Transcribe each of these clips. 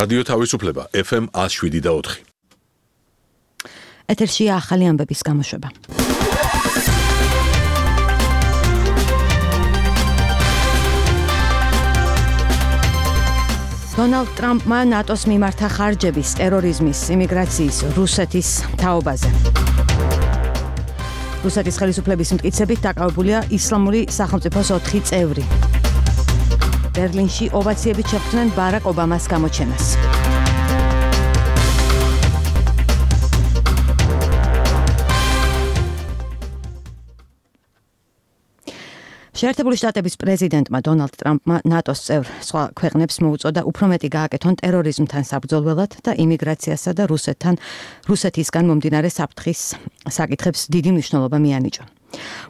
რადიო თავისუფლება FM 107.4. ეთერშია ახალი ამბების გამოშვება. დონალდ ტრამპმა ნატოს მიმართა ხარჯების, ტერორიზმის, იმიგრაციის, რუსეთის თაობაზე. რუსეთის ხელისუფლების მტკიცებით დაკავებულია ისლამური სახელმწიფოს 4 წევრი. ბერლინში ოვაციებით შეხვდნენ ბარაკ ობამას გამოჩენას. შეერთებული შტატების პრეზიდენტმა დონალდ ტრამპმა ნატოს წევრ სხვა ქვეყნებს მოუწოდა უფრო მეტი გააკეთონ ტერორიზმთან საბრძოლველად და იმიგრაციასა და რუსეთისგან მომდინარე საფრთხის საკითხებს დიდი მნიშვნელობა მიანიჭა.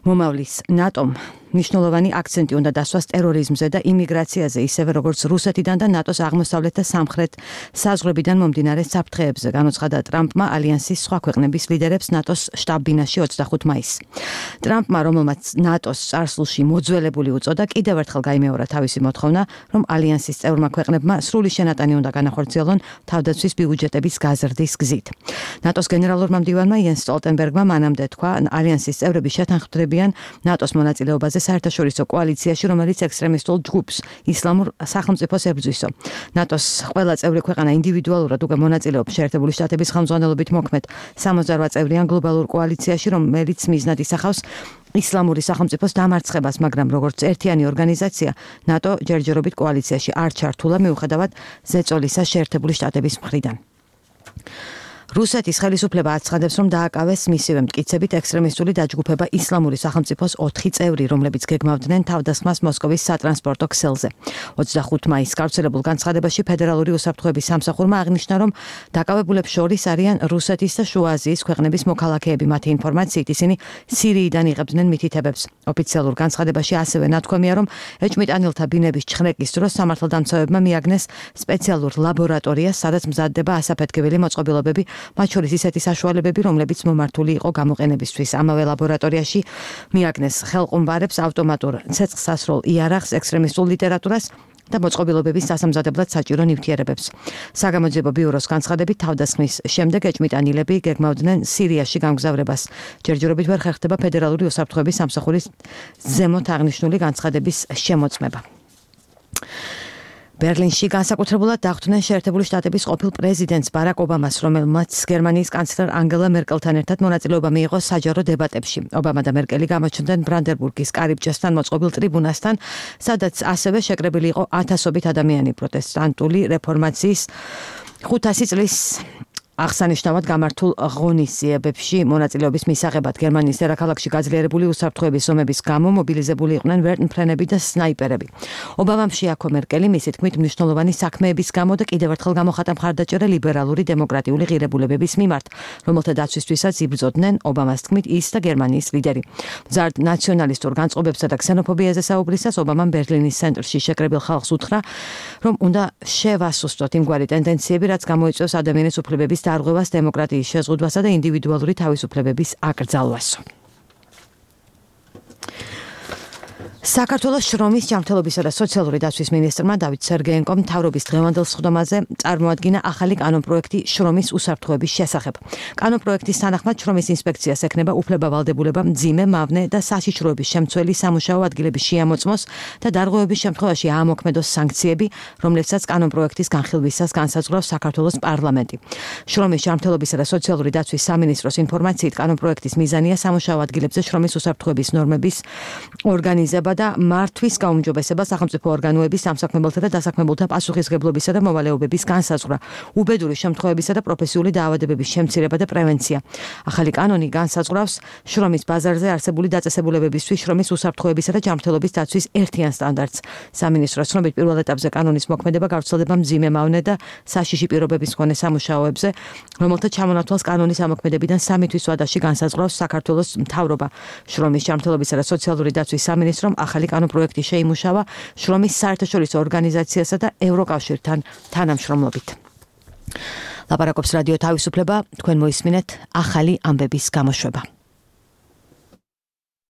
მომავლის ნატომ მნიშვნელოვანი აქცენტი უნდა დასვას ტერორიზმზე და იმიგრაციაზე, ისევე როგორც რუსეთიდან და ნატოს აღმოსავლეთ და სამხრეთ საზღვრებიდან მომდინარე საფრთხეებზე, განუცხადა ტრამპმა ალიანსის სხვა ქვეყნების ლიდერებს ნატოს შტაბ-ბინაში 25 მაისს. ტრამპმა, რომელმაც ნატოს წარსულში მოძველებული უწოდა, კიდევ ერთხელ გაიმეორა თავისი მოთხოვნა, რომ ალიანსის წევრმა ქვეყნებმა სრული შენატანი უნდა განახორციელონ თავდაცვის ბიუჯეტების გაზრდის გზით. ნატოს გენერალურმა მდივანმა იენს სტოლტენბერგმა მანამდე თქვა, ალიანსის წევრები შეთანხმდებიან ნატოს მონაწილეობაზე საერთაშორისო კოალიციაში, რომელიც ექსტრემისტულ ჯგუფს ისლამურ სახელმწიფოს ებრძვისო. ნატოს ყველა წევრი ქვეყანა ინდივიდუალურად უკვე მონაწილეობს შეერთებული შტატების ხელმძღვანელობით მოქმედ 68 წევრიან გლობალურ კოალიციაში, რომელიც მიზნად ისახავს ისლამური სახელმწიფოს დამარცხებას, მაგრამ როგორც ერთიანი ორგანიზაცია, ნატო ჯერჯერობით კოალიციაში არ ჩართულა მიუხედავად ზეწოლისა შეერთებული შტატების მხრიდან. რუსეთის ხელისუფლება აცხადებს, რომ დააკავეს მისივე მტკიცებით ექსტრემისტული დაჯგუფება ისლამური სახელმწიფოს 4 წევრი, რომლებიც გეგმავდნენ თავდასხმას მოსკოვის სატრანსპორტო ქსელზე. 25 მაისს გავრცელებულ განცხადებაში ფედერალური უსაფრთხოების სამსახურმა აღნიშნა, რომ დაკავებულებს შორის არიან რუსეთის და შუა აზიის ქვეყნების მოქალაქეები. მათი ინფორმაციით ისინი სირიიდან იღებდნენ მითითებებს. ოფიციალურ განცხადებაში ასევე ნათქვამია, რომ ეჭვმიტანილთა ბინების ჩხრეკის დროს სამართალდამცავებმა მიაგნეს სპეციალურ ლაბორატორიას, სადაც მზადდება ასაფეთქებელი მოწყობილობები, მათ შორის ისეთი საშუალებები, რომლებიც მომართული იყო გამოყენებისთვის. ამავე ლაბორატორიაში მიაგნეს ხელყუმბარებს, ავტომატურ ცეცხლსასროლ იარაღს, ექსტრემისტულ ლიტერატურას და მოწყობილობების დასამზადებლად საჭირო ნივთიერებებს. საგამოძიებო ბიუროს განცხადებით, თავდასხმის შემდეგ ეჭვმიტანილები გეგმავდნენ სირიაში გამგზავრებას. ჯერჯერობით ვერ ხერხდება ფედერალური უსაფრთხოების სამსახურის ზემოთ აღნიშნული განცხადების შემოწმება. ბერლინში განსაკუთრებულად დახვდნენ შეერთებული შტატების ყოფილ პრეზიდენტს ბარაკ ობამას, რომელმაც გერმანიის კანცლერ ანგელა მერკელთან ერთად მონაწილეობა მიიღო საჯარო დებატებში. ობამა და მერკელი გამოჩნდნენ ბრანდენბურგის კარიბჭესთან მოწყობილ ტრიბუნასთან, სადაც ასევე შეკრებილი იყო ათასობით ადამიანი პროტესტანტული რეფორმაციის 500 წლის აღსანიშნავად გამართულ ღონისძიებებში მონაწილეობის მისაღებად. გერმანიის დედაქალაქში გაძლიერებული უსაფრთხოების ომების გამო მობილიზებული იყვნენ ვერტმფრენები და სნაიპერები. ობამამ შეაქო მერკელი მისი თქმით მნიშვნელოვანი საქმეების გამო და კიდევ ერთხელ გამოხატა მხარდაჭერა ლიბერალური დემოკრატიული ღირებულებების მიმართ, რომელთა დაცვისთვისაც იბრძოდნენ ობამას თქმით ის და გერმანიის ლიდერი. მზარდ ნაციონალისტურ განწყობებსა და ქსენოფობიაზე საუბრისას ობამამ ბერლინის ცენტრში შეკრებილ ხალხს უთხრა, რომ უნდა შევასუსტოთ იმგვარი ტენდენციები, რაც გამოიწვევს ადამიანის უფლებების დარღვევას, დემოკრატიის შეზღუდვასა და ინდივიდუალური თავისუფლებების აკრძალვასო. საქართველოს შრომის, ჯანმრთელობისა და სოციალური დაცვის მინისტრმა დავით სერგეენკომ მთავრობის დღევანდელ სხდომაზე წარმოადგინა ახალი კანონპროექტი შრომის უსაფრთხოების შესახებ. კანონპროექტის თანახმად შრომის ინსპექციას ექნება უფლება-ვალდებულება მძიმე, მავნე და საშიშროების შემცველი სამუშაო ადგილების შეამოწმოს და დარღვევების შემთხვევაში აამოქმედოს სანქციები, რომლებსაც კანონპროექტის განხილვისას განსაზღვრავს საქართველოს პარლამენტი. შრომის, ჯანმრთელობისა და სოციალური დაცვის სამინისტროს ინფორმაციით კანონპროექტის მიზანია სამუშაო ადგილებზე შრომის უსაფრთხოების ნორმების ორგანიზება და მართვის გაუმჯობესება, სახელმწიფო ორგანოების, სამსაქმებელთა და დასაქმებულთა პასუხისმგებლობისა და მოვალეობების განსაზღვრა, უბედური შემთხვევებისა და პროფესიული დაავადებების შემცირება და პრევენცია. ახალი კანონი განსაზღვრავს შრომის ბაზარზე არსებული დაწესებულებებისთვის შრომის უსაფრთხოებისა და ჯანმრთელობის დაცვის ერთიან სტანდარტს. სამინისტროს ცნობით პირველ ეტაპზე კანონის მოქმედება გავრცელდება მძიმე, მავნე და საშიში პირობების მქონე სამუშაოებზე, რომელთა ჩამონათვალს კანონის ამოქმედებიდან 3 თვის ვადაში განსაზღვრავს საქართველოს მთავრობა. შრომის, ჯანმრთელობისა და სოციალური დაცვის სამინისტრომ ახალი კანონპროექტი შეიმუშავა შრომის საერთაშორისო ორგანიზაციასა და ევროკავშირთან თანამშრომლობით. ლაპარაკობს რადიო თავისუფლება, თქვენ მოისმინეთ ახალი ამბების გამოშვება.